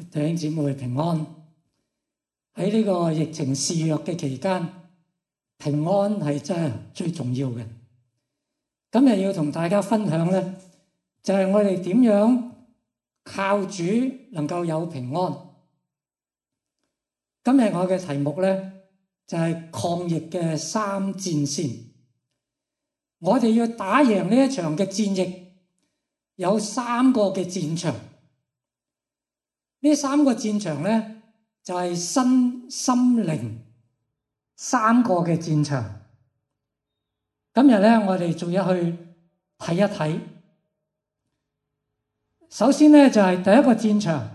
弟兄姊妹平安。喺呢個疫情肆虐嘅期間，平安係真係最重要嘅。今日要同大家分享呢，就係我哋點樣靠主能夠有平安。今日我嘅題目呢，就係抗疫嘅三戰線。我哋要打贏呢一場嘅戰役，有三個嘅戰場。呢三個戰場呢，就係身心靈三個嘅戰場。今日呢，我哋仲要去睇一睇。首先呢，就係第一個戰場，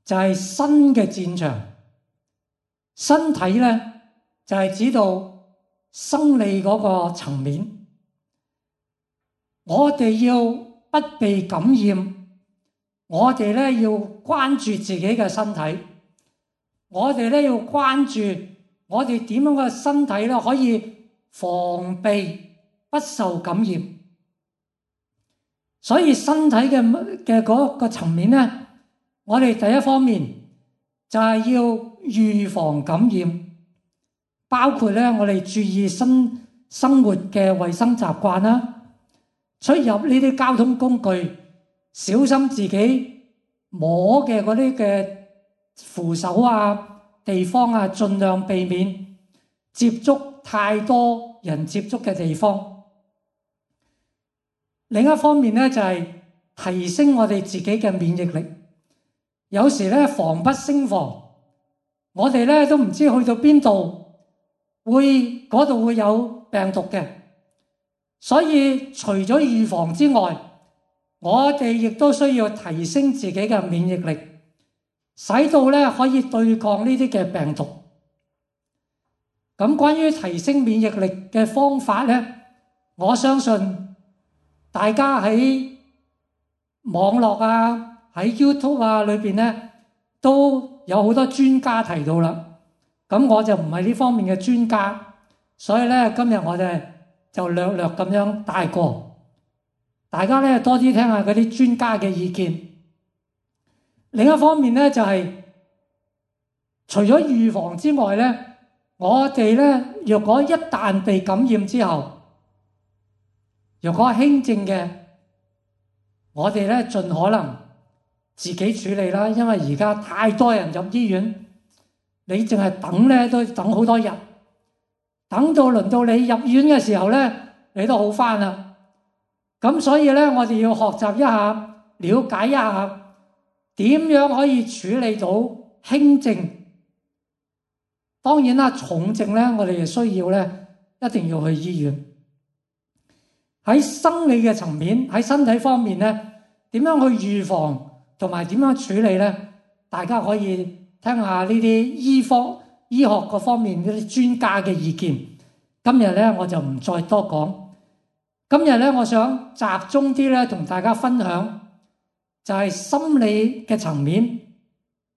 就係身嘅戰場。身體呢，就係指到生理嗰個層面。我哋要不被感染，我哋呢要關注自己嘅身體，我哋呢要關注我哋點樣嘅身體呢可以防備不受感染。所以身體嘅嗰個層面呢，我哋第一方面就係要預防感染，包括呢我哋注意生活嘅衛生習慣啦，出入呢啲交通工具，小心自己摸嘅嗰啲嘅扶手啊、地方啊，盡量避免接觸太多人接觸嘅地方。另一方面呢，就係提升我哋自己嘅免疫力。有時呢，防不勝防，我哋呢都唔知去到邊度嗰度會有病毒嘅。所以除咗預防之外，我哋亦都需要提升自己嘅免疫力，使到呢可以對抗呢啲嘅病毒。咁關於提升免疫力嘅方法呢，我相信大家喺網絡啊、喺 YouTube 啊裏邊呢，都有好多專家提到啦。咁我就唔係呢方面嘅專家，所以呢今日我哋就略略咁樣帶過，大家呢多啲聽下嗰啲專家嘅意見。另一方面呢，就係除咗預防之外呢，我哋呢若果一旦被感染之後，若果輕症嘅，我哋呢盡可能自己處理啦，因為而家太多人入醫院，你淨係等呢都等好多日，等到輪到你入院嘅時候呢，你都好返啦。咁所以呢，我哋要學習一下，了解一下點樣可以處理到輕症。當然啦，重症呢，我哋需要呢一定要去醫院。喺生理嘅層面，喺身體方面呢，點樣去預防同埋點樣處理呢？大家可以聽下呢啲醫學嗰方面嗰啲專家嘅意見。今日呢，我就唔再多講。今日呢，我想集中啲呢，同大家分享就係心理嘅層面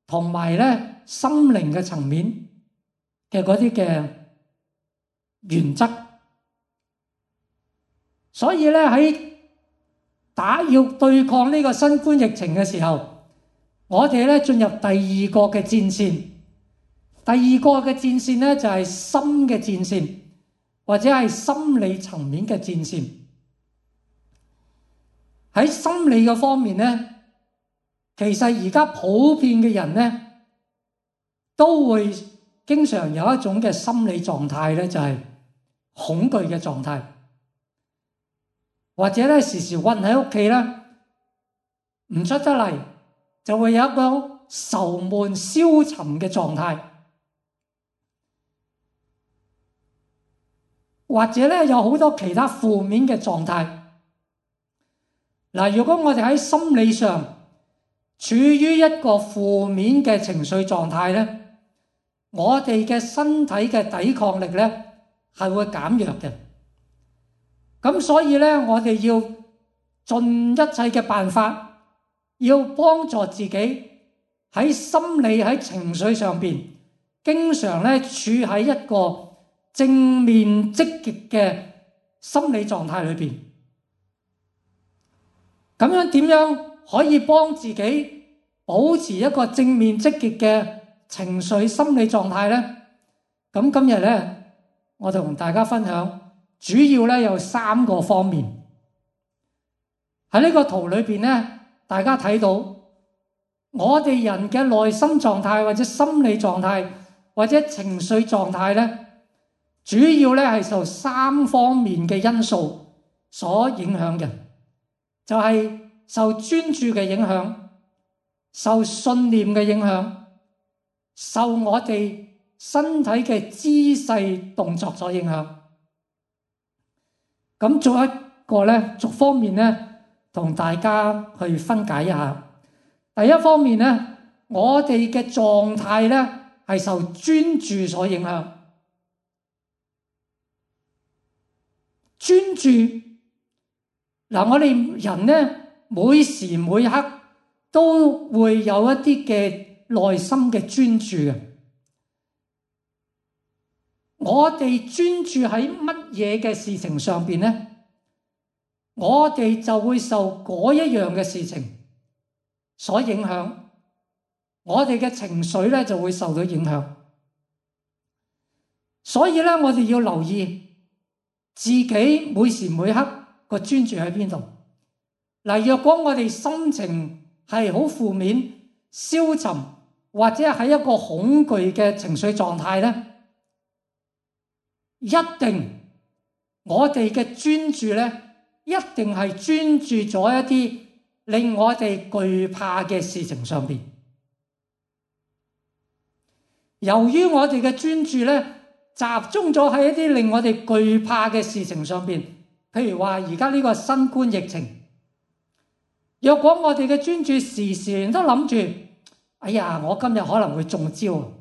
同埋呢心靈嘅層面嘅嗰啲嘅原則。所以呢，要對抗呢個新冠疫情嘅時候，我哋呢進入第二個嘅戰線。第二個嘅戰線呢，就係心嘅戰線，或者係心理層面嘅戰線。喺心理嘅方面呢，其實而家普遍嘅人呢，都會經常有一種嘅心理狀態呢，就係恐懼嘅狀態。或者咧時時困喺屋企咧，唔出得嚟，就會有一個愁悶消沉嘅狀態。或者咧有好多其他負面嘅狀態。嗱，如果我哋喺心理上處於一個負面嘅情緒狀態咧，我哋嘅身體嘅抵抗力咧係會減弱嘅。咁所以呢，我哋要盡一切嘅辦法，要幫助自己喺心理喺情緒上邊，經常呢處喺一個正面積極嘅心理狀態裏邊。咁樣點樣可以幫自己保持一個正面積極嘅情緒心理狀態呢？咁今日呢，我就同大家分享，主要呢有3個方面。喺呢個圖裏邊呢，大家睇到我哋人嘅內心狀態或者心理狀態或者情緒狀態呢，主要呢係受3方面嘅因素所影響嘅，就係受專注嘅影響、受信念嘅影響、受我哋身體嘅姿勢動作所影響。咁做一個呢，逐方面呢同大家去分解一下。第一方面呢，我哋嘅狀態呢係受專注所影響。專注嗱，我哋人呢每時每刻都會有一啲嘅內心嘅專注嘅。我哋專注喺乜嘢嘅事情上邊呢？我哋就會受嗰一樣嘅事情所影響，我哋嘅情緒咧就會受到影響。所以咧，我哋要留意自己每時每刻個專注喺邊度。嗱，若果我哋心情係好負面、消沉，或者喺一個恐懼嘅情緒狀態咧，一定我哋嘅專注咧，一定係專注咗一啲令我哋懼怕嘅事情上邊。由於我哋嘅專注咧，集中咗喺一啲令我哋懼怕嘅事情上邊，譬如話而家呢個新冠疫情。若果我哋嘅專注時時都諗住，哎呀，我今日可能會中招，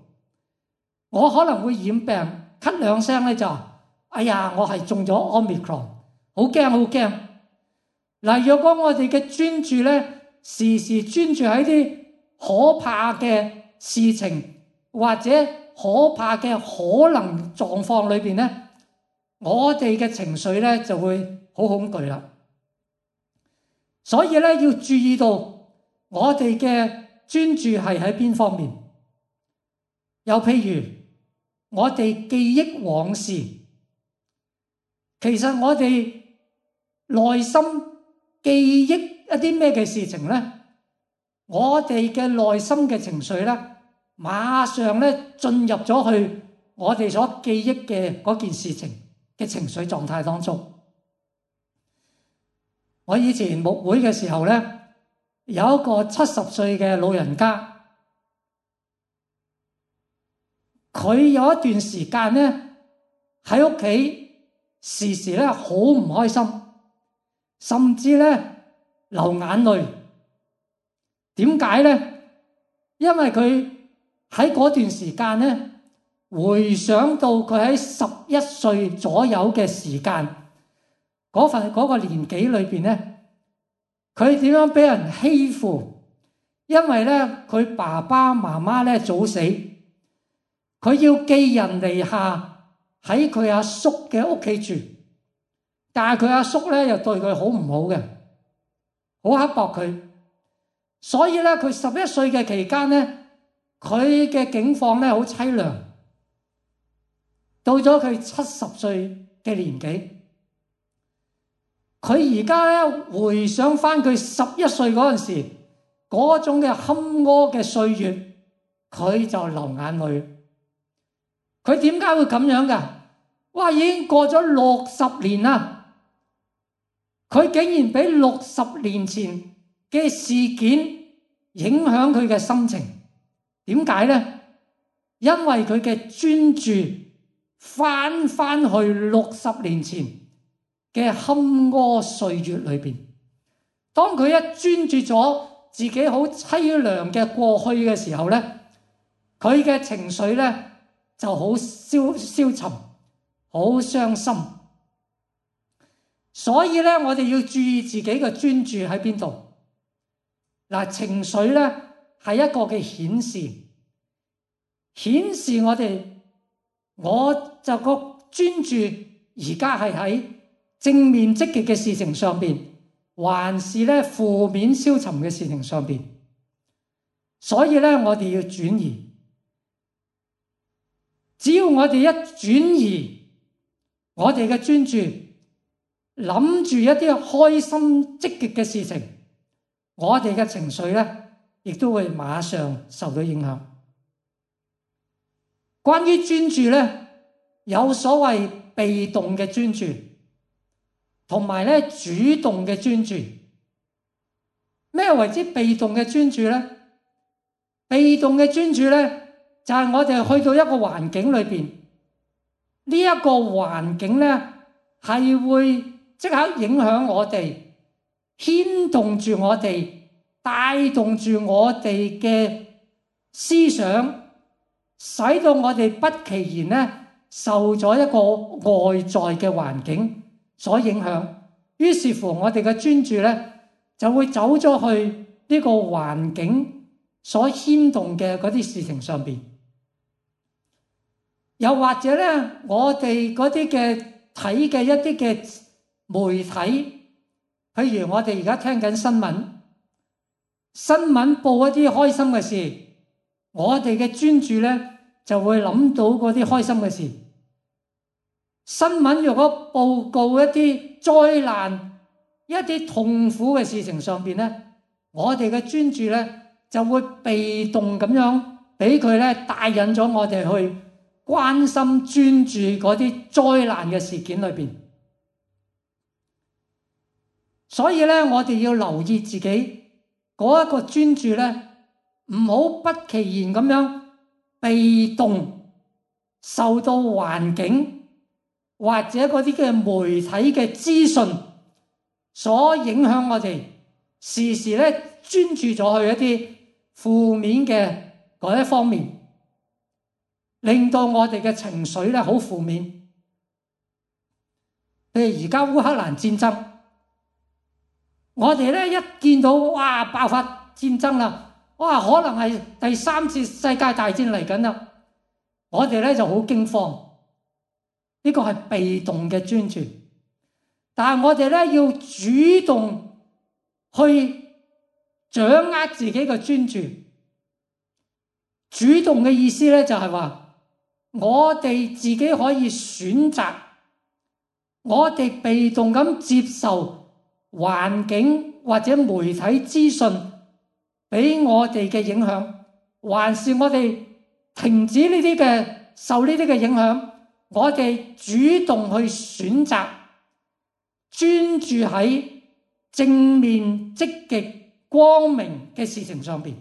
我可能會染病，咳兩聲咧就，哎呀，我係中咗 Omicron， 好驚好驚。嗱，若果我哋嘅專注咧，時時專注喺啲可怕嘅事情或者可怕嘅可能狀況裏邊咧，我哋嘅情緒咧就會好恐懼啦。所以咧，要注意到我哋嘅專注係喺邊方面。又譬如我哋記憶往事，其實我哋內心記憶一啲咩嘅事情咧，我哋嘅內心嘅情緒咧，馬上咧進入咗去我哋所記憶嘅嗰件事情嘅情緒狀態當中。我以前牧會嘅時候咧，有一個70歲嘅老人家，佢有一段時間咧喺屋企時時咧好唔開心，甚至咧流眼淚。點解咧？因為佢喺嗰段時間咧，回想到佢喺11歲左右嘅時間，嗰個年紀裏邊咧，佢點樣俾人欺負？因為咧佢爸爸媽媽咧早死，佢要寄人籬下喺佢阿叔嘅屋企住，但係佢阿叔咧又對佢好唔好嘅，好刻薄佢。所以咧佢11歲嘅期間咧，佢嘅境況咧好淒涼。到咗佢70歲嘅年紀，佢而家咧回想翻佢11歲嗰陣時嗰種嘅坎坷嘅歲月，佢就流眼淚。佢點解會咁樣㗎？哇！已經過咗60年啦，佢竟然俾60年前嘅事件影響佢嘅心情。點解呢？因為佢嘅專注翻去60年前嘅坎坷歲月裏邊。當佢一專注咗自己好淒涼嘅過去嘅時候呢，佢嘅情緒呢就好消沉，好傷心。所以呢，我哋要注意自己嘅專注喺邊度。嗱，情緒呢係一個嘅顯示我就個專注而家係喺正面積極嘅事情上邊，還是咧負面消沉嘅事情上邊。所以咧，我哋要轉移。只要我哋一轉移我哋嘅專注，諗住一啲開心積極嘅事情，我哋嘅情緒咧，亦都會馬上受到影響。關於專注咧，有所謂被動嘅專注，同埋咧主動嘅專注。咩為之被動嘅專注咧？被動嘅專注咧，就係我哋去到一個環境裏邊，呢一個環境咧係會即刻影響我哋，牽動住我哋，帶動住我哋嘅思想，使到我哋不其然咧受咗一個外在嘅環境所影響，於是乎我哋嘅專注咧就會走咗去呢個環境所牽動嘅嗰啲事情上邊。又或者咧，我哋嗰啲嘅睇嘅一啲嘅媒體，譬如我哋而家聽緊新聞，新聞報一啲開心嘅事，我哋嘅專注咧就會諗到嗰啲開心嘅事。新聞如果報告一啲災難、一啲痛苦嘅事情上邊咧，我哋嘅專注咧就會被動咁樣俾佢咧帶引咗我哋去關心專注嗰啲災難嘅事件裏邊。所以咧，我哋要留意自己嗰一個專注咧，唔好不其然咁樣被動受到環境或者嗰啲嘅媒體嘅資訊所影響，我哋時時咧專注咗去一啲負面嘅嗰一方面，令到我哋嘅情緒咧好負面。譬如而家烏克蘭戰爭，我哋咧一見到哇爆發戰爭啦，哇可能係第3次世界大戰嚟緊啦，我哋咧就好驚慌。呢個係被動嘅專注，但係我哋咧要主動去掌握自己嘅專注。主動嘅意思咧就係話，我哋自己可以選擇，我哋被動咁接受環境或者媒體資訊俾我哋嘅影響，還是我哋停止呢啲嘅受呢啲嘅影響，我哋主動去選擇專注喺正面積極光明嘅事情上邊。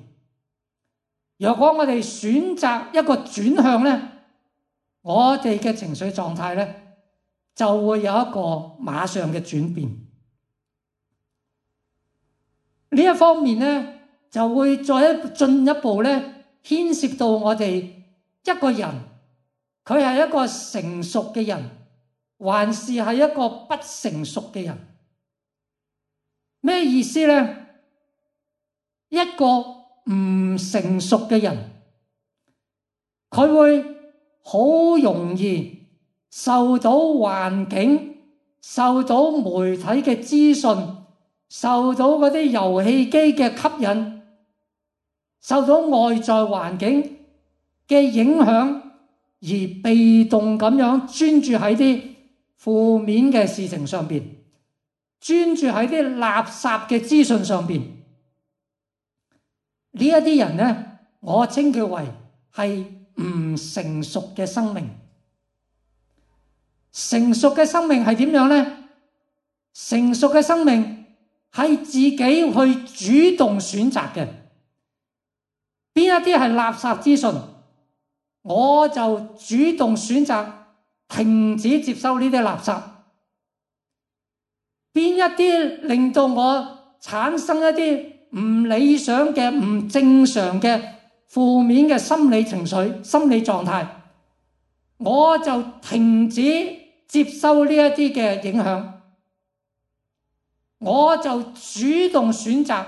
如果我哋選擇一個轉向咧，我哋嘅情緒狀態咧就會有一個馬上嘅轉變。呢一方面咧就會再進一步咧牽涉到我哋一個人，佢係一個成熟嘅人，還是係一個不成熟嘅人？咩意思咧？一個唔成熟嘅人，佢會好容易受到環境、受到媒體嘅資訊、受到嗰啲遊戲機嘅吸引、受到外在環境嘅影響，而被動咁樣專注喺啲負面嘅事情上邊，專注喺啲垃圾嘅資訊上邊。呢一啲人咧，我稱佢為係唔成熟嘅生命。成熟嘅生命係點樣咧？成熟嘅生命係自己去主動選擇嘅。邊一啲係垃圾資訊，我就主動選擇停止接收呢啲垃圾。邊一啲令到我產生一啲唔理想嘅、唔正常嘅負面嘅心理情緒、心理狀態，我就停止接收呢一啲嘅影響，我就主動選擇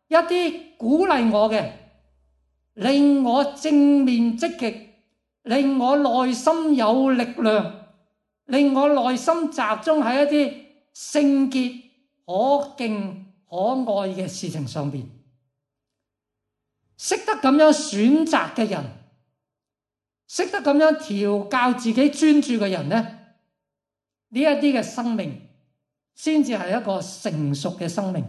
一啲鼓勵我嘅、令我正面積極、令我內心有力量、令我內心集中喺一啲聖潔、可敬、可愛嘅事情上邊。識得咁樣選擇嘅人，識得咁樣調教自己專注嘅人呢，呢一啲嘅生命先至係一個成熟嘅生命，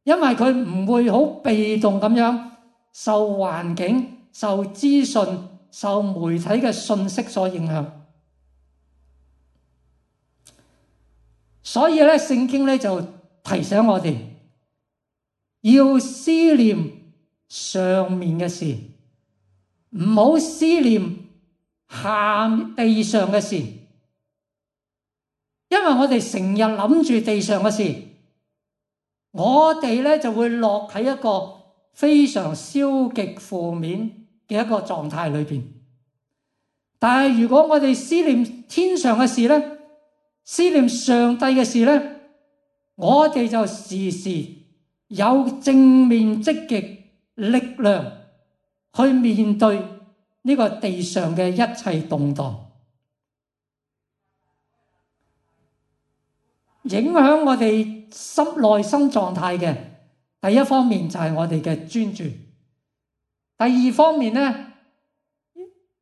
因為佢唔會好被動咁樣受環境、受資訊、受媒體嘅信息所影響。所以咧，聖經咧就提醒我哋要思念上面嘅事，唔好思念地上嘅事，因為我哋成日諗住地上嘅事，我哋咧就會落喺一個非常消極負面嘅一個狀態裏邊。但係如果我哋思念天上嘅事咧，思念上帝嘅事咧，我哋就時時有正面積極力量去面對呢個地上嘅一切動盪。影響我哋內心狀態嘅第一方面就係我哋嘅專注，第二方面呢，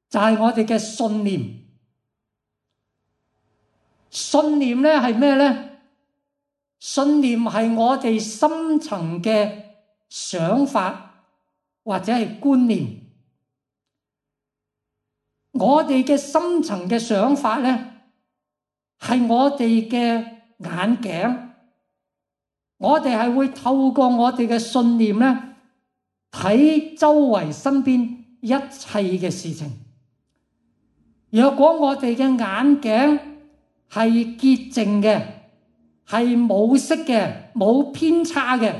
就係我哋嘅信念。信念呢係咩呢？信念係我哋深層嘅想法或者係觀念。我哋嘅深層嘅想法呢，係我哋嘅眼鏡，我哋係會透過我哋嘅信念呢，睇周圍身邊一切嘅事情。若果我哋嘅眼鏡係潔淨嘅，係冇色嘅，冇偏差嘅，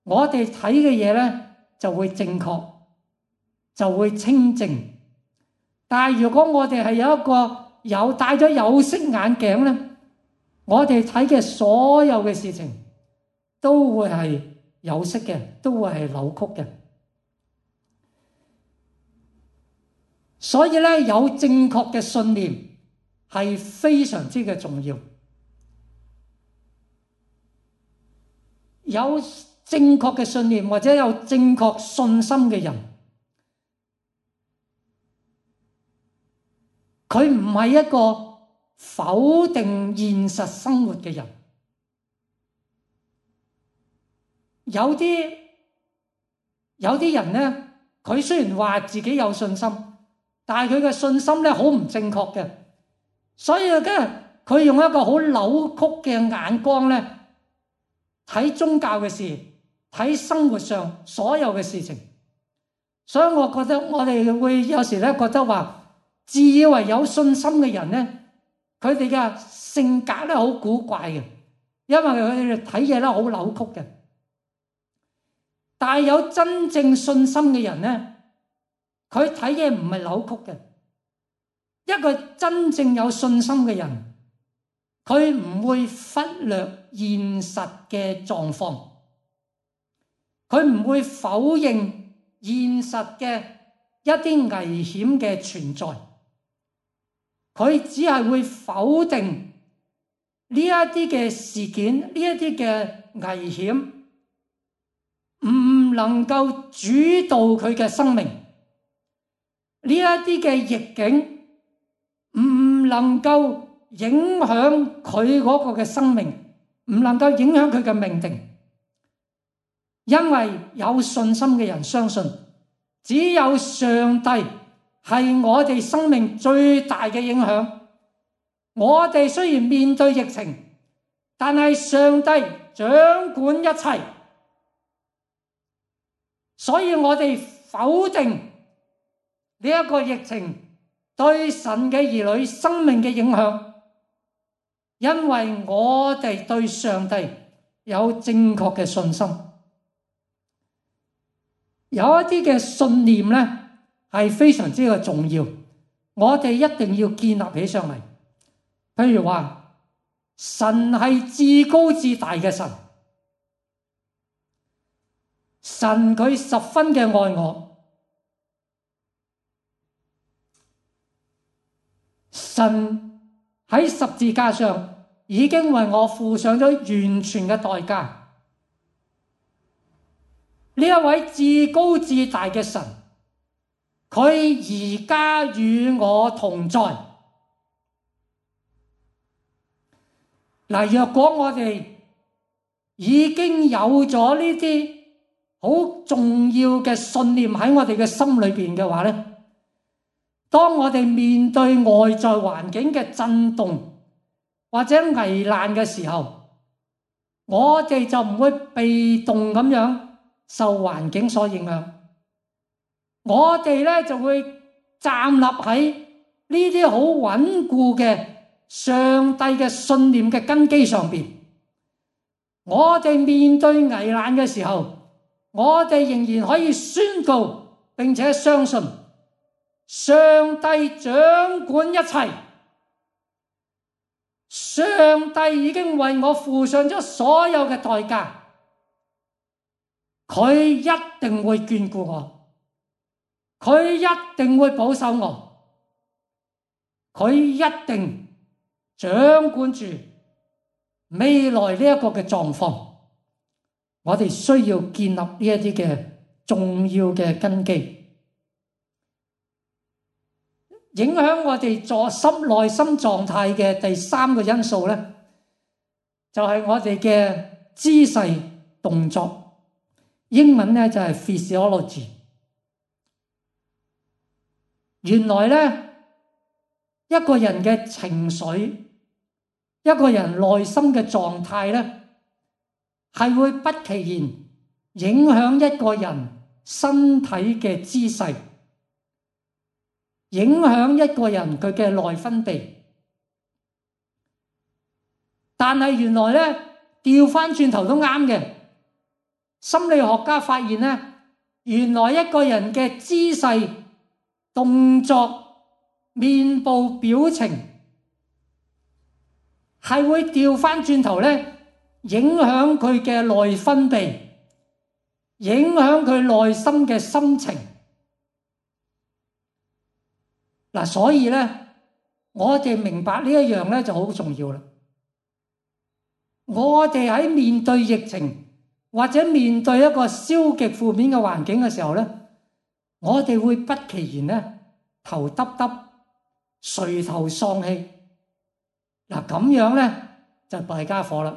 我哋睇嘅嘢呢就會正確，就會清淨。但係如果我哋係有一個戴咗有色眼鏡呢，我哋睇嘅所有嘅事情都會係有色嘅，都會係扭曲嘅。所以咧，有正確嘅信念係非常之嘅重要。有正確嘅信念或者有正確信心嘅人，佢唔係一個否定現實生活嘅人。有啲人呢，佢雖然話自己有信心，但係佢嘅信心呢好唔正確嘅，所以佢用一個好扭曲嘅眼光呢睇宗教嘅事，睇生活上所有嘅事情。所以我覺得我哋會有時呢覺得話，自以為有信心嘅人呢，佢哋嘅性格呢好古怪嘅，因為佢哋睇嘢呢好扭曲嘅。但係有真正信心嘅人呢，佢睇嘢唔係扭曲嘅。一個真正有信心嘅人，佢唔會忽略現實嘅狀況，佢唔會否認現實嘅一啲危險嘅存在，佢只係會否定呢一啲嘅事件，呢一啲嘅危險唔能夠主導佢嘅生命，呢一啲嘅逆境唔能夠影響佢嗰個嘅生命，唔能夠影響佢嘅命定。因為有信心嘅人相信，只有上帝係我哋生命最大嘅影響。我哋雖然面對疫情，但係上帝掌管一切，所以我哋否定呢一個疫情對神嘅兒女生命嘅影響，因為我哋對上帝有正確嘅信心。有一啲嘅信念呢係非常之嘅重要，我哋一定要建立起上嚟。譬如話，神係至高至大嘅神，神佢十分嘅愛我，神喺十字架上已經為我付上咗完全嘅代價。呢一位至高至大嘅神，佢而家與我同在。嗱，若果我哋已經有咗呢啲好重要嘅信念喺我哋嘅心裏邊嘅話咧，當我哋面對外在環境嘅震動或者危難嘅時候，我哋就唔會被動咁樣受環境所影響，我哋咧就會站立喺呢啲好穩固嘅上帝嘅信念嘅根基上邊。我哋面對危難嘅時候，我哋仍然可以宣告並且相信上帝掌管一切，上帝已經為我付上咗所有嘅代價，佢一定會眷顧我，佢一定會保守我，佢一定掌管住未來呢一個嘅狀況。我哋需要建立呢一啲嘅重要嘅根基，影響我哋內心狀態嘅第三個因素咧，就係我哋嘅姿勢動作，英文咧就係 physiology。原來咧，一個人嘅情緒，一個人內心嘅狀態咧，係會不其然影響一個人身體嘅姿勢，影響一個人佢嘅內分泌。但係原來咧，調翻轉頭都啱嘅。心理學家發現咧，原來一個人嘅姿勢、動作、面部表情係會調翻轉頭咧，影響佢嘅內分泌，影響佢內心嘅心情。嗱，所以咧，我哋明白呢一樣咧就好重要啦。我哋喺面對疫情或者面對一個消極負面嘅環境嘅時候咧，我哋會不其然咧頭耷耷、垂頭喪氣。嗱，咁樣咧就弊家伙啦。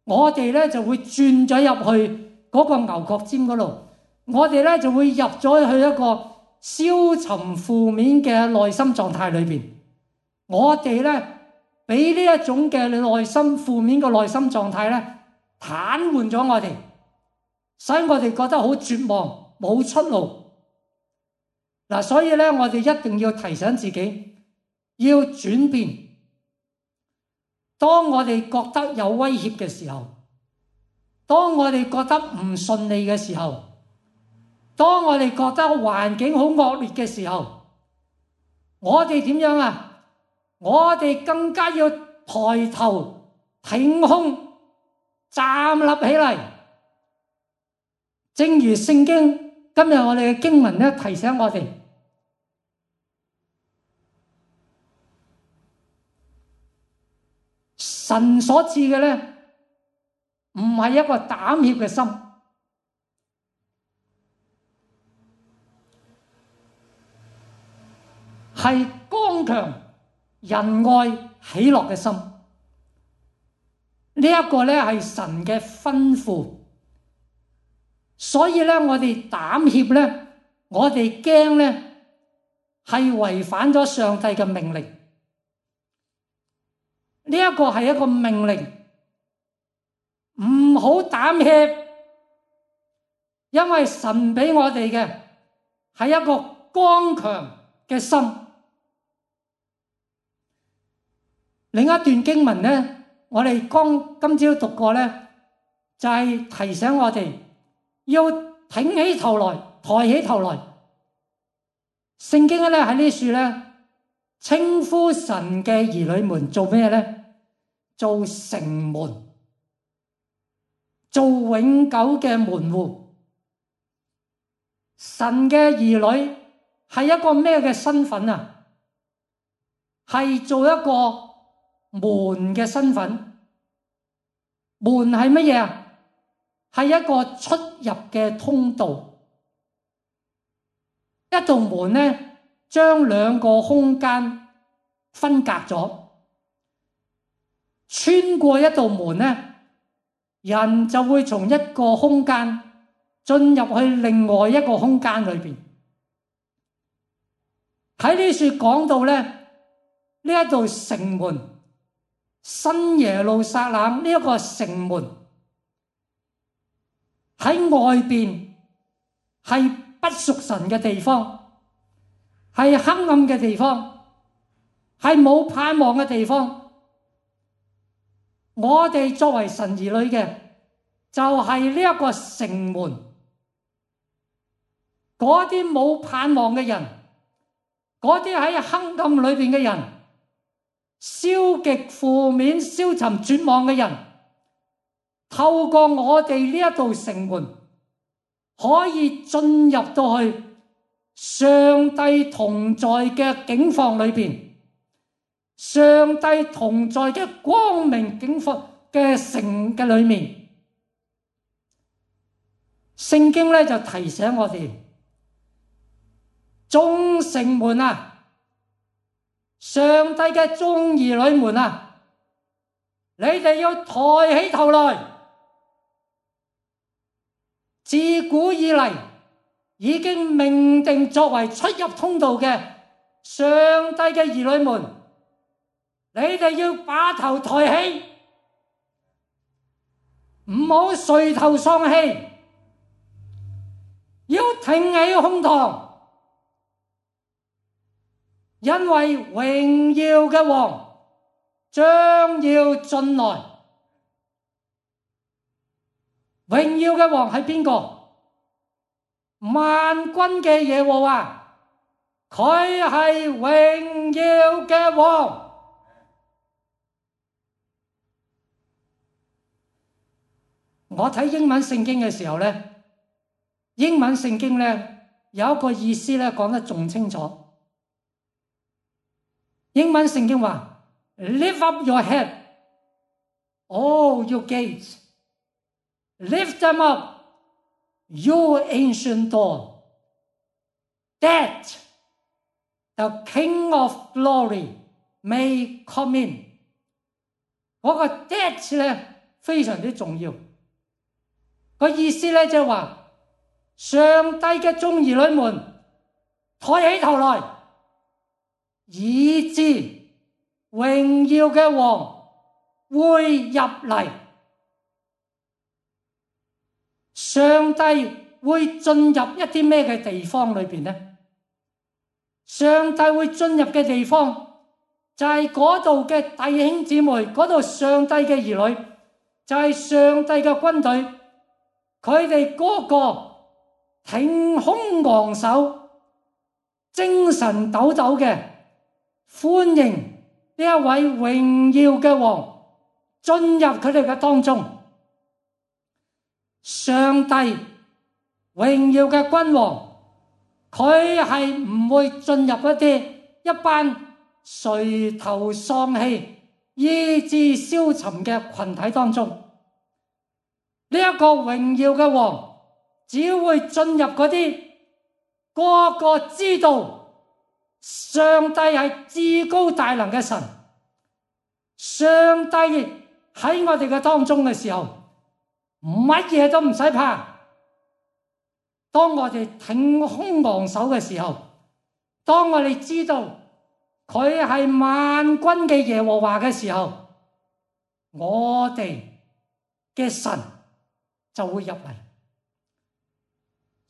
我哋咧就會轉咗入去嗰個牛角尖嗰度，我哋咧就會入咗去一個消沉負面嘅內心狀態裏邊。我哋咧俾呢一種嘅內心負面嘅內心狀態咧癱瘓咗我哋，使我哋覺得好絕望，冇出路。嗱，所以咧我哋一定要提醒自己要轉變。當我哋覺得有威脅嘅時候，當我哋覺得唔順利嘅時候，當我哋覺得環境好惡劣嘅時候，我哋點樣啊？我哋更加要抬頭挺胸站立起嚟。正如聖經今日我哋嘅經文咧提醒我哋，神所賜嘅咧，唔係一個膽怯嘅心，係剛強、仁愛、喜樂嘅心。呢一個咧係神嘅吩咐，所以咧我哋膽怯咧，我哋驚咧，係違反咗上帝嘅命令。呢一個係一個命令，唔好膽怯，因為神俾我哋嘅係一個剛強嘅心。另一段經文咧，我哋今朝讀過咧，就係提醒我哋要挺起頭來，抬起頭來。聖經咧喺呢處咧稱呼神嘅兒女們做咩咧？做城門，做永久嘅門戶。神嘅兒女係一個咩嘅身份啊？係做一個門嘅身份。門係乜嘢啊？係一個出入嘅通道，一道門呢，將兩個空間分隔咗。穿過一道門呢，人就會從一個空間進入去另外一個空間裏邊。喺呢處講到呢，呢一道城門，新耶路撒冷呢一個城門喺外邊係不屬神嘅地方，係黑暗嘅地方，係冇盼望嘅地方。我哋作為神兒女嘅，就係呢一個城門。嗰啲冇盼望嘅人，嗰啲喺黑暗裏邊嘅人，消極負面、消沉絕望嘅人，透過我哋呢一道城門，可以進入到去上帝同在嘅境況裏邊，上帝同在嘅光明境況嘅城嘅裏面。聖經咧就提醒我哋，眾城門啊，上帝嘅眾兒女們啊，你哋要抬起頭來。自古以嚟已經命定作為出入通道嘅上帝嘅兒女們，你哋要把頭抬起，唔好垂頭喪氣，要挺起胸膛，因為榮耀嘅王將要進來。榮耀嘅王係邊個？萬軍嘅耶和華，佢係榮耀嘅王。我睇英文聖經嘅時候呢，英文聖經呢有一個意思呢講得仲清楚。英文聖經話 ：Lift up your head, all you gates. Lift them up, you ancient door, that the King of Glory may come in。嗰個 that 咧非常之重要。個意思咧就係話，上帝嘅眾兒女們抬起頭來，以致榮耀嘅王會入嚟。上帝會進入一啲咩嘅地方裏邊呢？上帝會進入嘅地方就係嗰度嘅弟兄姊妹，嗰度上帝嘅兒女，就係上帝嘅軍隊，佢哋嗰個挺胸昂首、精神抖抖嘅歡迎呢一位榮耀嘅王進入佢哋嘅當中。上帝榮耀嘅君王，佢係唔會進入一班垂頭喪氣、意志消沉嘅群體當中。呢一個榮耀嘅王，只會進入嗰啲個個知道上帝係至高大能嘅神，上帝喺我哋嘅當中嘅時候，乜嘢都唔使怕。當我哋挺胸昂首嘅時候，當我哋知道佢係萬軍嘅耶和華嘅時候，我哋嘅神就會入嚟。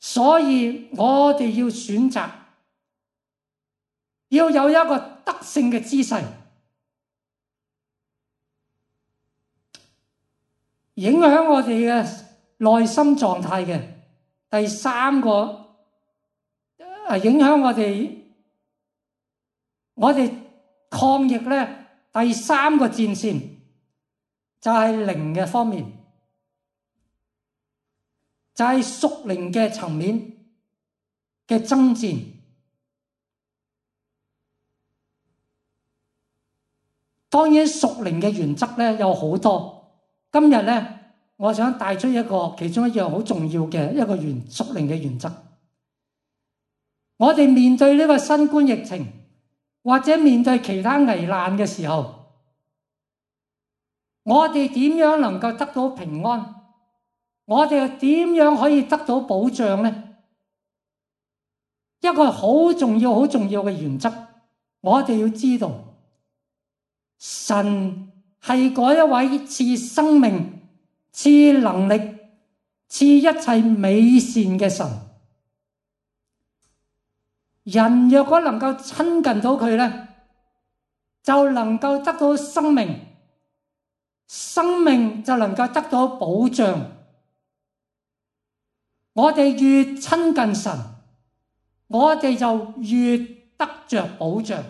所以我哋要選擇，要有一個得勝嘅姿勢。影響我哋嘅內心狀態嘅第三個，影響我哋抗疫咧第三個戰線就係靈嘅方面，就係屬靈嘅層面嘅爭戰。當然屬靈嘅原則咧有好多。今日咧，我想帶出其中一樣好重要嘅一個屬靈嘅原則。我哋面對呢個新冠疫情，或者面對其他危難嘅時候，我哋點樣能夠得到平安？我哋又點樣可以得到保障呢？一個好重要、好重要嘅原則，我哋要知道，神係嗰一位賜生命、賜能力、賜一切美善嘅神。人若果能夠親近到佢呢，就能夠得到生命，生命就能夠得到保障。我哋越親近神，我哋就越得着保障。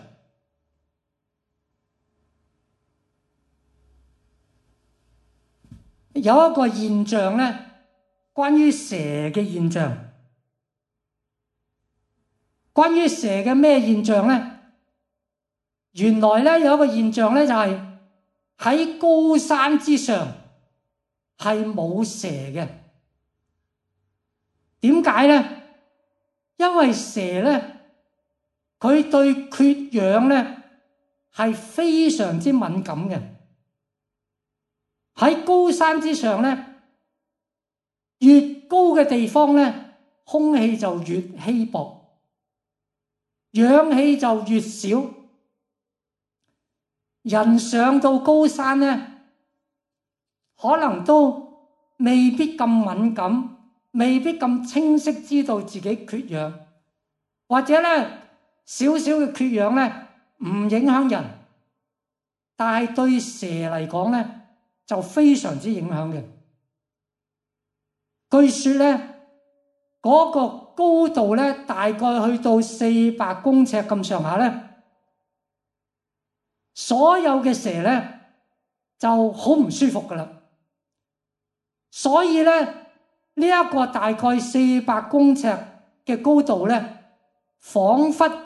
有一個現象呢，關於蛇嘅現象。關於蛇嘅咩現象呢？原來呢，有一個現象呢，就係喺高山之上係冇蛇嘅。點解呢？因為蛇呢，佢對缺氧呢係非常之敏感嘅。喺高山之上呢，越高嘅地方呢，空氣就越稀薄，氧氣就越少。人上到高山呢，可能都未必咁敏感，未必咁清晰知道自己缺氧，或者呢少少嘅缺氧呢唔影響人，但係對蛇嚟講呢就非常之影響嘅。據說呢嗰個高度呢大概去到400公尺咁上下呢，所有嘅蛇呢就好唔舒服噶啦。所以呢，呢一個大概400公尺嘅高度呢，彷彿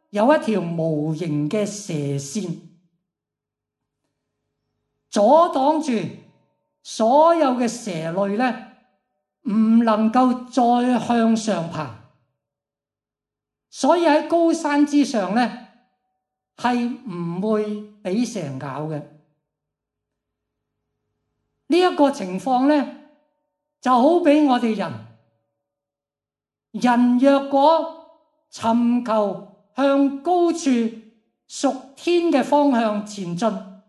有一條無形嘅蛇線，阻擋住所有嘅蛇類呢唔能夠再向上爬。所以喺高山之上呢係唔會俾蛇咬嘅。呢一個情況呢就好比我哋人若果尋求向高處屬天嘅方向前進，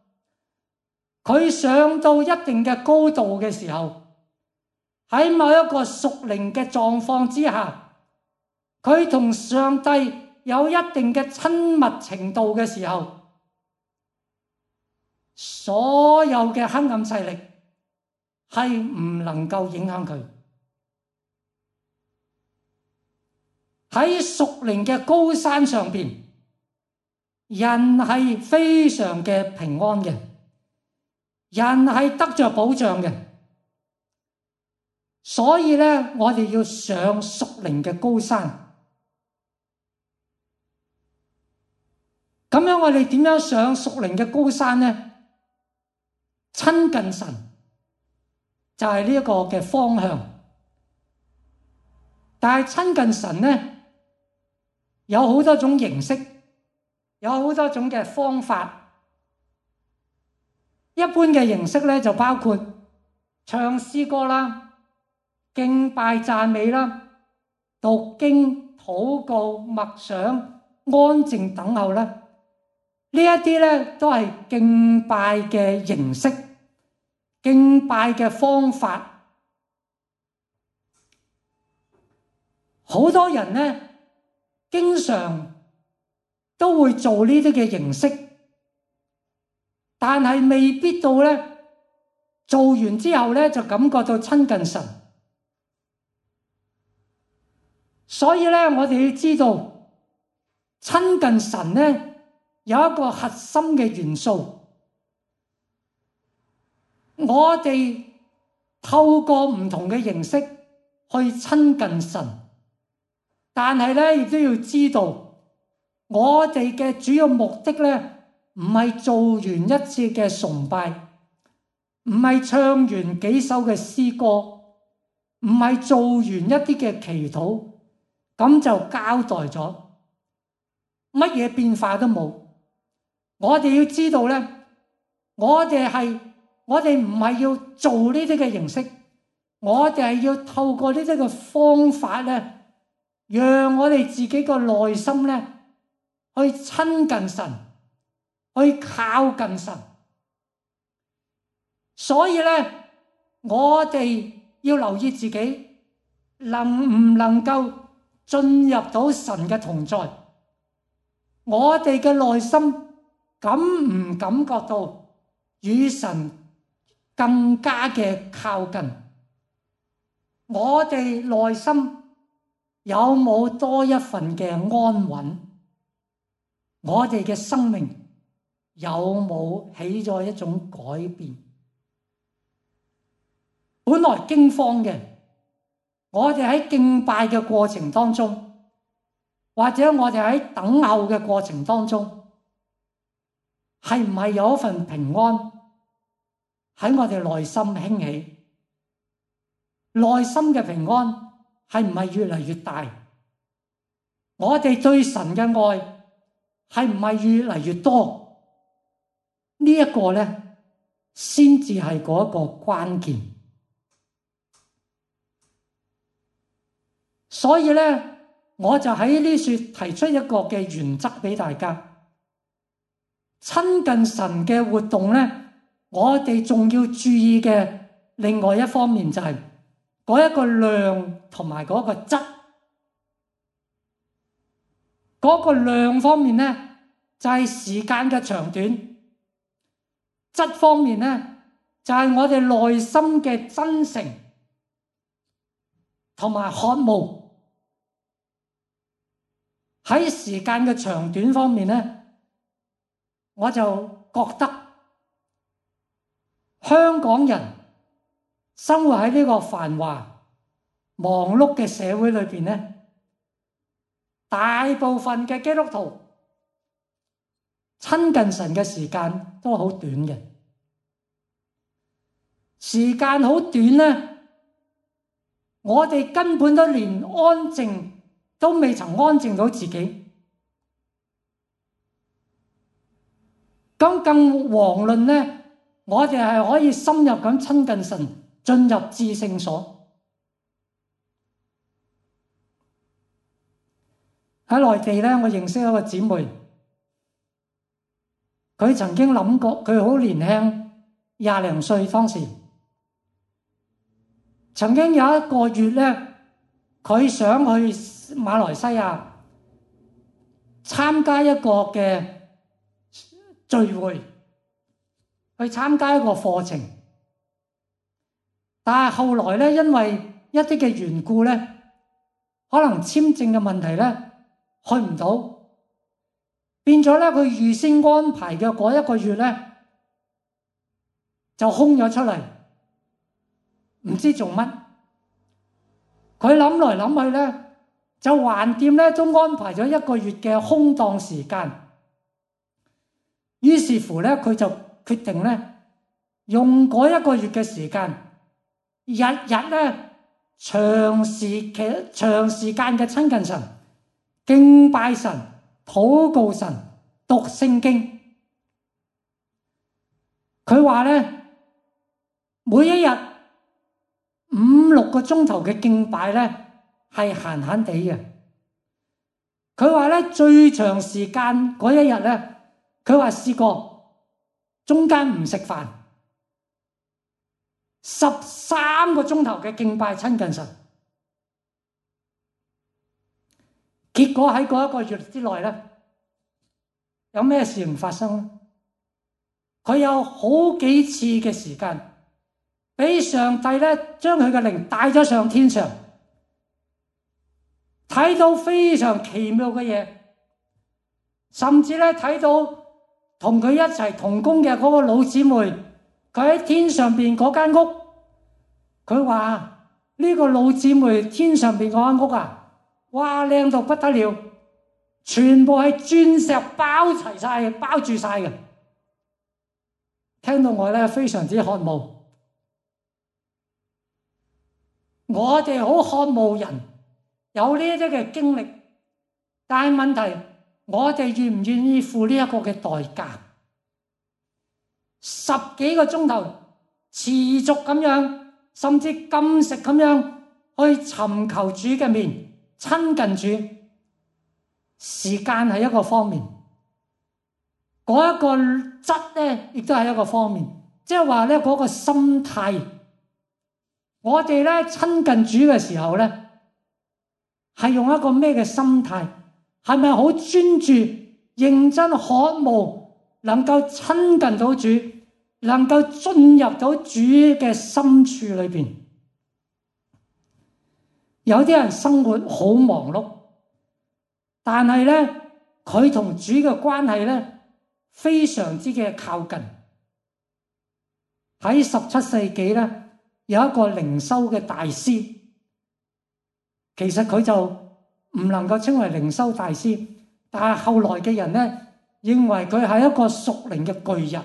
佢上到一定嘅高度嘅時候，喺某一個屬靈嘅狀況之下，佢同上帝有一定嘅親密程度嘅時候，所有嘅黑暗勢力係唔能夠影響佢。喺屬靈嘅高山上邊，人係非常嘅平安嘅，人係得着保障嘅。所以呢，我哋要上屬靈嘅高山。咁樣我哋點樣上屬靈嘅高山呢？親近神就係呢一個嘅方向。但係親近神呢，有好多種形式，有好多種嘅方法。一般嘅形式呢，就包括唱詩歌啦、敬拜讚美啦、讀經、禱告、默想、安靜等候啦。呢一啲呢都係敬拜嘅形式、敬拜嘅方法。好多人呢經常都會做呢啲嘅形式，但係未必到呢做完之後呢就感覺到親近神。所以呢，我哋要知道親近神呢有一個核心嘅元素，我哋透過唔同嘅形式去親近神，但係呢亦都要知道，我哋嘅主要目的呢唔係做完一次嘅崇拜，唔係唱完幾首嘅詩歌，唔係做完一啲嘅祈禱，咁就交代咗，乜嘢變化都冇。我哋要知道咧，我哋唔係要做呢啲嘅形式，我哋係要透過呢啲嘅方法咧，讓我哋自己嘅內心咧去親近神，去靠近神。所以咧，我哋要留意自己能唔能夠進入到神嘅同在，我哋嘅內心感唔感覺到與神更加嘅靠近？我哋內心有冇多一份嘅安穩？我哋嘅生命有冇起咗一種改變？本來驚慌嘅，我哋喺敬拜嘅過程當中，或者我哋喺等候嘅過程當中，係唔係有一份平安喺我哋內心興起？內心嘅平安係唔係越嚟越大？我哋對神嘅愛係唔係越嚟越多？呢一個咧，先至係嗰一個關鍵。所以咧，我就喺呢處提出一個嘅原則俾大家。親近神嘅活動咧，我哋仲要注意嘅另外一方面就係嗰一個量同埋嗰個質。嗰個量方面咧，就係時間嘅長短；質方面咧，就係我哋內心嘅真誠同埋渴慕。喺時間嘅長短方面咧，我就覺得香港人生活喺呢個繁華忙碌嘅社會裏邊咧，大部分嘅基督徒親近神嘅時間都好短嘅。時間好短咧，我哋根本都連安靜都未曾安靜到自己，咁更遑論咧，我哋係可以深入咁親近神，進入至聖所。喺內地咧，我認識一個姊妹，佢曾經諗過，佢好年輕，20零歲當時，曾經有一個月咧，佢想去馬來西亞參加一個嘅聚會，去參加一個課程，但係後來咧，因為一啲嘅緣故咧，可能簽證嘅問題咧，去唔到，變咗咧，佢預先安排嘅嗰一個月咧，就空咗出嚟，唔知做乜。佢諗來諗去咧，就橫掂咧都安排咗一個月嘅空檔時間。於是乎咧，佢就決定咧，用嗰一個月嘅時間，日日咧長時間嘅親近神、敬拜神、禱告神、讀聖經。佢話咧，每一日5-6個鐘頭嘅敬拜咧係閒閒地嘅。佢話咧，最長時間嗰一日咧，佢話試過中間唔食飯，13個鐘頭嘅敬拜親近神。結果喺嗰一個月之內咧，有咩事情發生咧？佢有好幾次嘅時間，俾上帝咧將佢嘅靈帶咗上天上，睇到非常奇妙嘅嘢，甚至咧睇到同佢一齊同工嘅嗰個老姊妹，佢喺天上邊嗰間屋，佢話呢個老姊妹天上邊嗰間屋啊，哇，靚到不得了，全部係鑽石包住晒嘅。聽到我咧非常之渴慕。我哋好渴慕人有呢啲嘅經歷，但係問題，我哋願唔願意付呢一個嘅代價？10幾個鐘頭持續咁樣，甚至禁食咁樣去尋求主嘅面，親近主。時間係一個方面，嗰一個質咧，亦都係一個方面。即係話咧，嗰個心態，我哋咧親近主嘅時候咧，係用一個咩嘅心態？係咪好專注、認真渴慕，能夠親近到主，能夠進入到主嘅深處裏邊？有啲人生活好忙碌，但係咧，佢同主嘅關係咧非常之嘅靠近。喺17世紀咧，有一個靈修嘅大師，其實佢就唔能夠稱為靈修大師，但係後來嘅人咧認為佢係一個屬靈嘅巨人，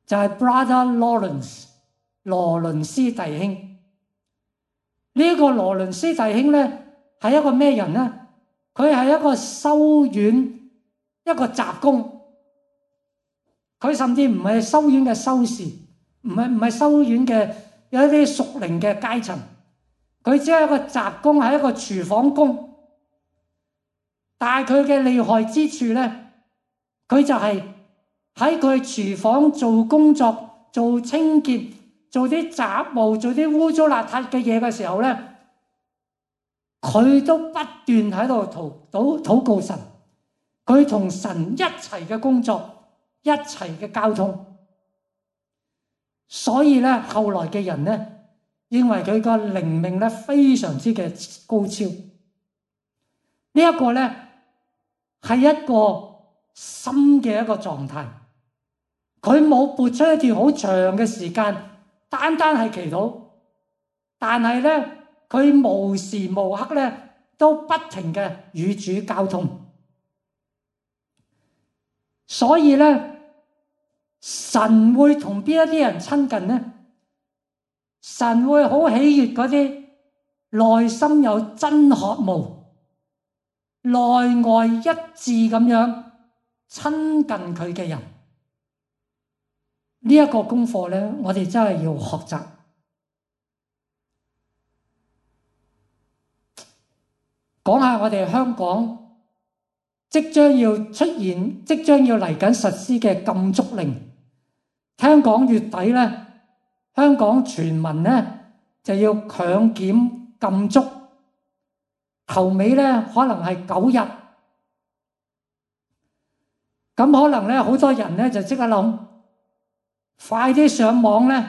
就係 Brother Lawrence 羅倫斯弟兄。呢個羅倫斯弟兄咧係一個咩人咧？佢係一個修院一個雜工，佢甚至唔係修院嘅修士，唔係修院嘅有一啲屬靈嘅階層，佢只係一個雜工，係一個廚房工。但係佢嘅厲害之處咧，佢就係喺佢廚房做工作、做清潔、做啲雜務、做啲污糟邋遢嘅嘢嘅時候咧，佢都不斷喺度禱告神，佢同神一齊嘅工作，一齊嘅交通。所以咧，後來嘅人咧認為佢個靈命咧非常之嘅高超。呢一個咧係一個心嘅一個狀態，佢冇撥出一段好長嘅時間，單係祈禱，但係咧佢無時無刻咧都不停嘅與主交通。所以咧，神會同邊一啲人親近呢？神會好喜悅嗰啲內心有真渴慕、內外一致咁樣親近佢嘅人。呢一個功課咧，我哋真係要學習。講下我哋香港即將要出現、即將要嚟緊實施嘅禁足令。聽講月底咧，香港全民咧就要強檢禁足，頭尾咧可能係9日。咁可能咧好多人咧就即刻諗，快啲上網咧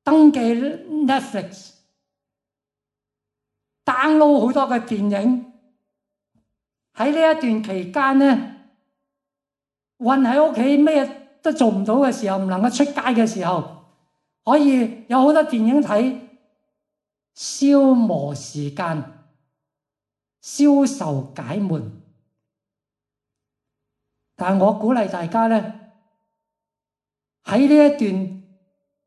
登記 Netflix， download 好多嘅電影。喺呢一段期間咧，困喺屋企咩都做唔到嘅時候，唔能夠出街嘅時候，可以有好多電影睇，消磨時間，消愁解悶。但係我鼓勵大家咧，喺呢一段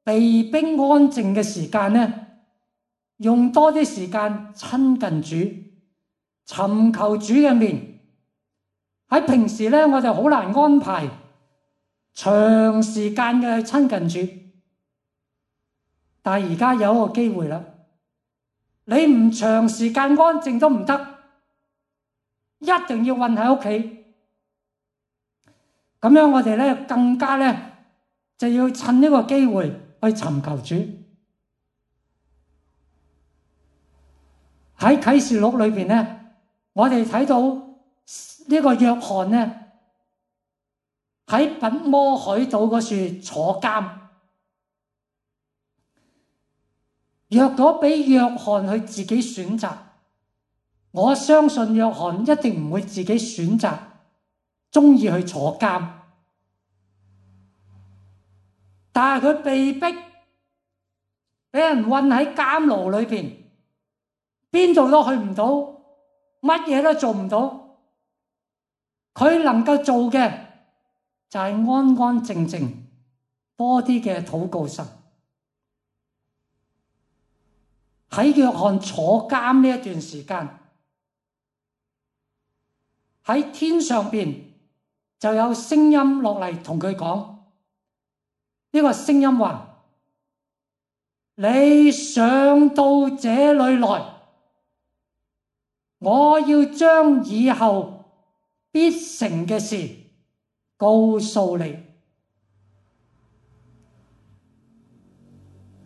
被迫安靜嘅時間咧，用多啲時間親近主，尋求主嘅面。喺平時咧，我哋好難安排長時間嘅去親近主，但係而家有一個機會啦，你唔長時間安靜都唔得，一定要困喺屋企。咁樣我哋咧更加咧就要趁呢個機會去尋求主。喺啟示錄裏邊咧，我哋睇到呢個約翰咧喺拔摩海島嗰處坐監。若果俾約翰去自己選擇，我相信約翰一定唔會自己選擇鍾意去坐監。但係佢被逼俾人困喺監牢裏邊，邊度都去唔到，乜嘢都做唔到。佢能夠做嘅就係安安靜靜多啲嘅禱告神。喺約翰坐監呢一段時間，喺天上邊就有聲音落嚟同佢講，呢個聲音話：你上到這裏來，我要將以後必成嘅事告訴你。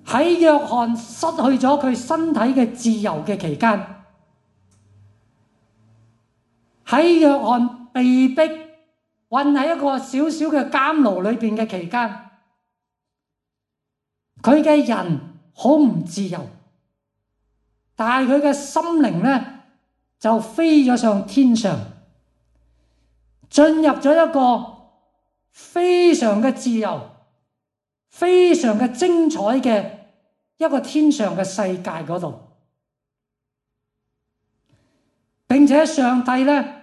喺約翰失去咗佢身體嘅自由嘅期間，喺約翰被逼困喺一個小小嘅監牢裏邊嘅期間，佢嘅人好唔自由，但係佢嘅心靈呢就飛咗上天上，進入咗一個非常嘅自由、非常嘅精彩嘅一個天上嘅世界嗰度。並且上帝呢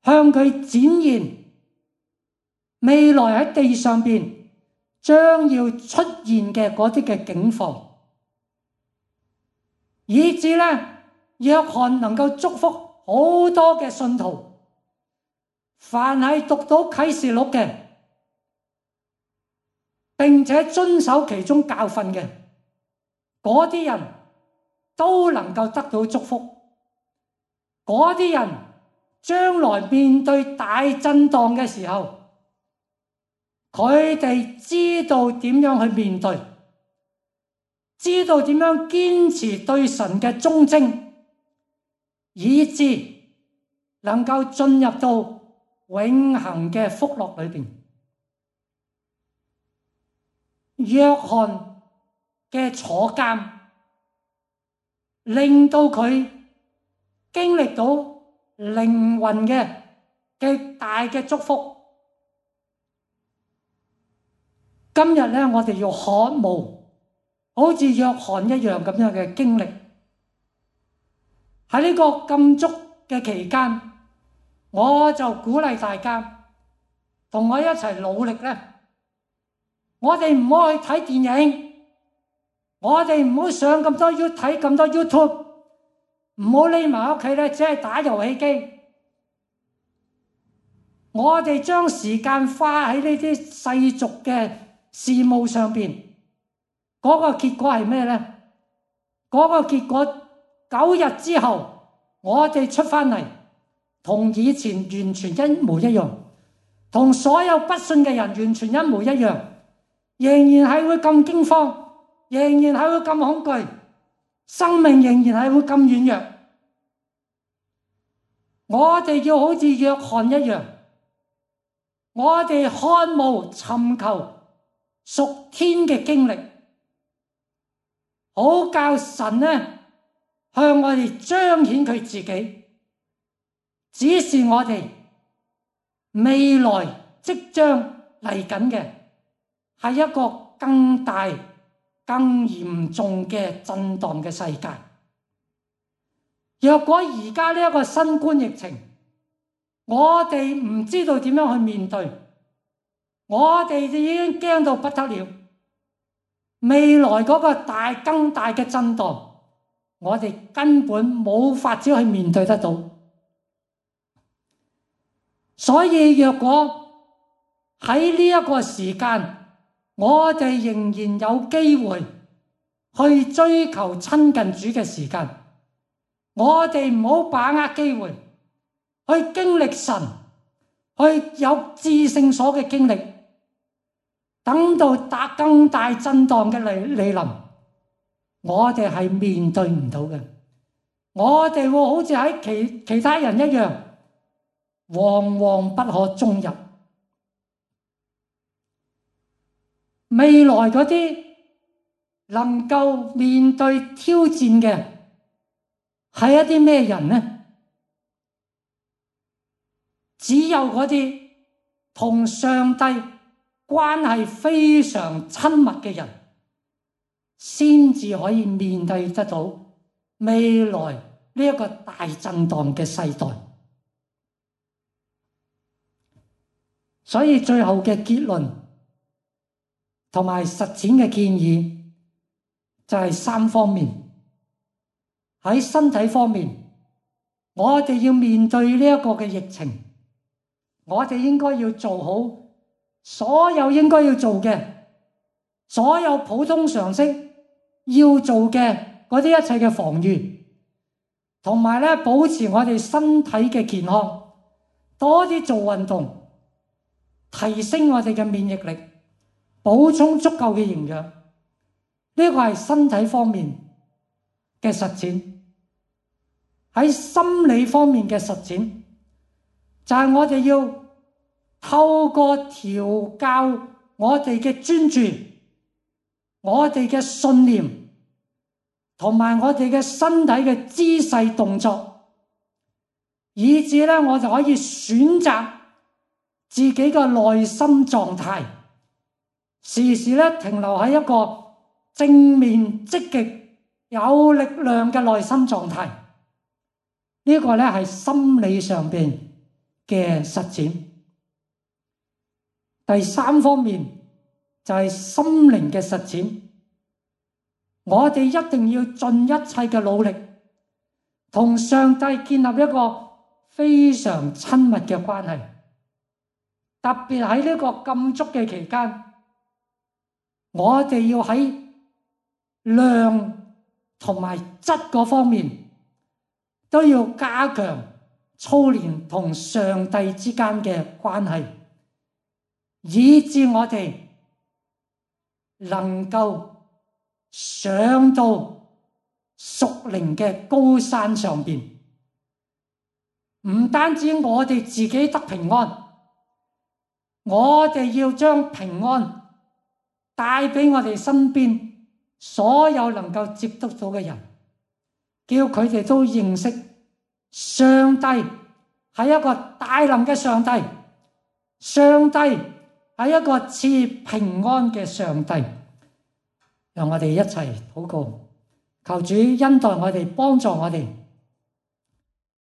向佢展現未來喺地上邊將要出現嘅嗰啲嘅境況，以致呢約翰能夠祝福好多嘅信徒，凡係讀到啟示錄嘅，並且遵守其中教訓嘅嗰啲人都能夠得到祝福。嗰啲人將來面對大震盪嘅時候，佢哋知道點樣去面對，知道點樣堅持對神嘅忠貞，以致能夠進入到永恆嘅福樂裏邊。約翰嘅坐監令到佢經歷到靈魂嘅極大嘅祝福。今日呢，我哋要渴慕好似約翰一樣咁樣嘅經歷。喺呢個禁足嘅期間，我就鼓勵大家同我一齊努力呢。我哋唔好去睇電影，我哋唔好上咁多睇咁多 YouTube， 唔好匿埋屋企咧，只係打遊戲機。我哋將時間花喺呢啲世俗嘅事務上邊，嗰個結果係咩呢？嗰個結果9日之後，我哋出翻嚟，同以前完全一模一樣，同所有不信嘅人完全一模一樣，仍然係會咁驚慌，仍然係會咁恐懼，生命仍然係會咁軟弱。我哋要好似約翰一樣，我哋渴慕尋求屬天嘅經歷，好教神呢向我哋彰顯佢自己，指示我哋未來即將嚟緊嘅係一個更大、更嚴重嘅震盪嘅世界。若果而家呢一個新冠疫情，我哋唔知道點樣去面對，我哋已經驚到不得了。未來嗰個更大嘅震盪，我哋根本冇法子去面對得到。所以若果喺呢一個時間，我哋仍然有機會去追求親近主嘅時間，我哋唔好把握機會去經歷神，去有至聖所嘅經歷。等到更大震盪嘅嚟臨，我哋係面對唔到嘅。我哋會好似喺其他人一樣，惶惶不可終日。未來嗰啲能夠面對挑戰嘅係一啲咩人呢？只有嗰啲同上帝關係非常親密嘅人，先至可以面對得到未來呢一個大震盪嘅世代。所以最後嘅結論同埋實踐嘅建議就係3方面。喺身體方面，我哋要面對呢一個嘅疫情，我哋應該要做好所有應該要做嘅，所有普通常識要做嘅嗰啲一切嘅防禦，同埋咧保持我哋身體嘅健康，多啲做運動，提升我哋嘅免疫力，補充足夠嘅營養。呢個係身體方面嘅實踐。喺心理方面嘅實踐，就係我哋要透過調教我哋嘅專注，我哋嘅信念，同埋我哋嘅身體嘅姿勢動作，以致咧我就可以選擇自己嘅內心狀態，時時咧停留喺一個正面、積極、有力量嘅內心狀態。呢個咧係心理上邊嘅實踐。第3方面就係心靈嘅實踐。我哋一定要盡一切嘅努力，同上帝建立一個非常親密嘅關係。特別喺呢個禁足嘅期間，我哋要喺量同埋質嗰方面都要加強操練同上帝之間嘅關係，以致我哋能夠上到屬靈嘅高山上邊。唔單止我哋自己得平安，我哋要將平安帶俾我哋身邊所有能夠接觸到嘅人，叫佢哋都認識上帝係一個大能嘅上帝，上帝係一個賜平安嘅上帝。讓我哋一齊禱告，求主恩待我哋，幫助我哋，